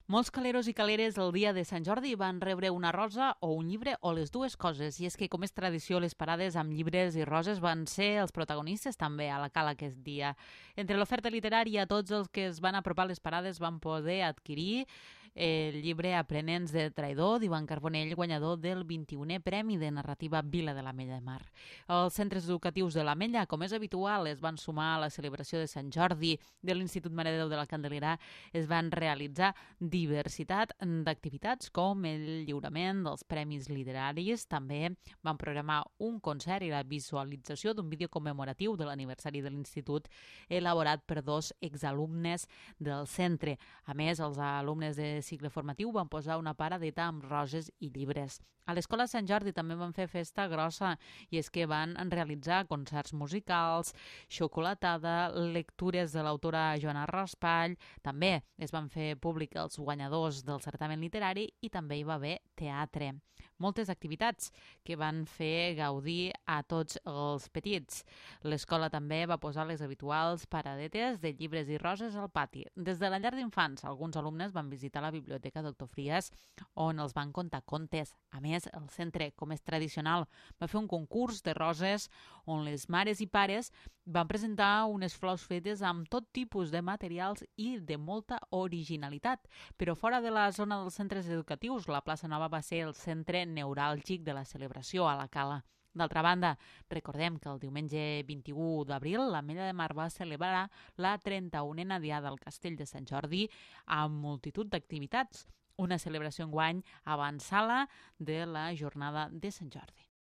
Molts caleros i caleres el dia de Sant Jordi van rebre una rosa o un llibre o les dues coses. I és que, com és tradició, les parades amb llibres i roses van ser els protagonistes també a la cala aquest dia. Entre l'oferta literària, tots els que es van apropar a les parades van poder adquirir el llibre Aprenents de Traïdor d'Ivan Carbonell, guanyador del 21è Premi de Narrativa Vila de l'Ametlla de Mar. Els centres educatius de l'Ametlla, com és habitual, es van sumar a la celebració de Sant Jordi de l'Institut Mare de Déu de la Candelera. Es van realitzar diversitat d'activitats com el lliurament dels premis literaris. També van programar un concert i la visualització d'un vídeo commemoratiu de l'aniversari de l'Institut elaborat per 2 exalumnes del centre. A més, els alumnes de cicle formatiu van posar una paradeta amb roses i llibres. A l'Escola Sant Jordi també van fer festa grossa i és que van realitzar concerts musicals, xocolatada, lectures de l'autora Joana Raspall. També es van fer públic els guanyadors del certamen literari i també hi va haver teatre. Moltes activitats que van fer gaudir a tots els petits. L'escola també va posar les habituals paradetes de llibres i roses al pati. Des de la llar d'infants, alguns alumnes van visitar la biblioteca Doctor Fries, on els van contar contes. A més, el centre, com és tradicional, va fer un concurs de roses on les mares i pares van presentar unes flors fetes amb tot tipus de materials i de molta originalitat. Però fora de la zona dels centres educatius, la plaça Nova va ser el centre neuràlgic de la celebració a la cala. D'altra banda, recordem que el diumenge 21 d'abril l'Ametlla de Mar va celebrar la 31a Diada al Castell de Sant Jordi amb multitud d'activitats, una celebració enguany avançada de la jornada de Sant Jordi.